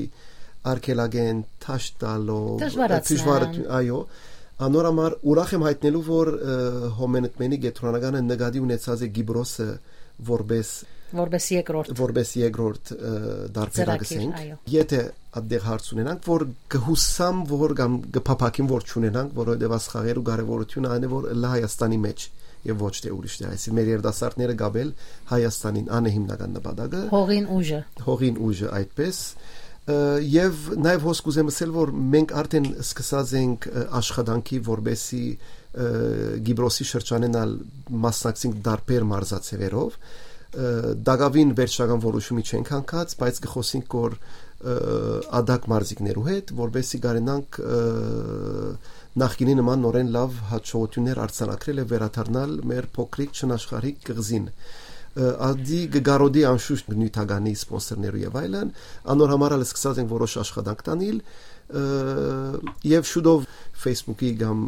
արգելագեն, թաշ տալով, Դժվարացնեն։ Դժվարություն, այո, անոր համար ուրախ եմ հայտնելու, որ, ը, հոմենտմենի կեդրոնականը նկատի ունեցած է Կիպրոսը որպես Որպես երկրորդ որպես երկրորդ, ը, դարբերակ, Ծրագիր, ասենք, այո։ Եթե այդտեղ հարց ունենանք, որ կհուսամ, որ կամ կփափակեմ, որ չունենանք, որովհետև այս խաղերու կարևորությունը այն է, որ ըլլայ Հայաստանի մեջ եւ ոչ թե ուրիշ տեղ։ Այսինքն մեր երիտասարդները գաբել Հայաստանին, ան է հիմնական նպատակը։ Հողին ուժը։ Հողին ուժը այդպես, ը, եւ նաեւ հոս կուզեմ ասել, որ մենք արդեն սկսած ենք, ը, աշխատանքի, որպեսի, Կիպրոսի շրջանէն ալ մասնակցենք տարբեր մարզաձեւերով։ Տակաւին վերջնական որոշումի չենք յանգած, բայց կը խօսենք, որ ադակ մարզիկներու հետ, որպեսզի կարենանք նախկինի նման նորեն լաւ հաջողութիւններ արձանագրել եւ վերադառնալ մեր փոքրիկ չնաշխարհիկ կղզին։ Ադի կը կարօտի անշուշտ նիւթականի սպոնսորներու եւ այլն, անոր համար ալ սկսած ենք որոշ աշխատանք տանիլ, եւ շուտով Facebook-ի կամ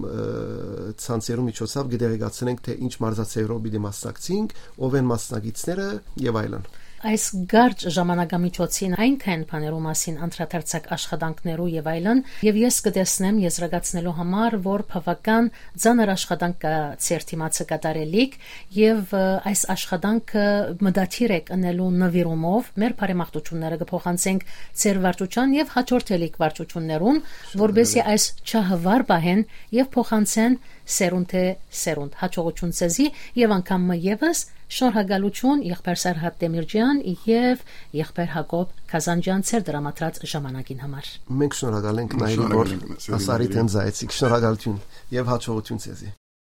ցանցերու միջոցով կը տեղեկացնենք, թե ինչ մարզաձեւերով պիտի մասնակցենք, ով են մասնակիցները եւ այլն։ Այս կարճ ժամանակամիջոցին այնքան բաներու մասին անդրադարձակ, աշխատանքներու եւ այլն, եւ ես կը տեսնեմ եզրակացնելու համար, որ բաւական ծանր աշխատանք կա ձեր դիմացը կատարելիք, եւ այս աշխատանքը մտադիր եք ընելու նվիրումով, մեր բարեմաղթութիւնները կը փոխանցենք ձեր վարչութեան եւ հաջորդելիք վարչութիւններուն, որպեսզի այս չահը վառ պահեն եւ փոխանցեն սերունդէ սերունդ։ Հաջողութիւն ձեզի եւ անգամ մը եւս շնորհակալութիւն եղբայր Սարհատ Տեմիրճեան եւ եղբայր Յակոբ Գազանճեան ձեր դրամատրած ժամանակին համար։ Մենք շնորհակալ ենք, Նայիրի, որ ասարիդ հենց այցիկ։ Շնորհակալութիւն եւ հաջողութիւն ձեզի։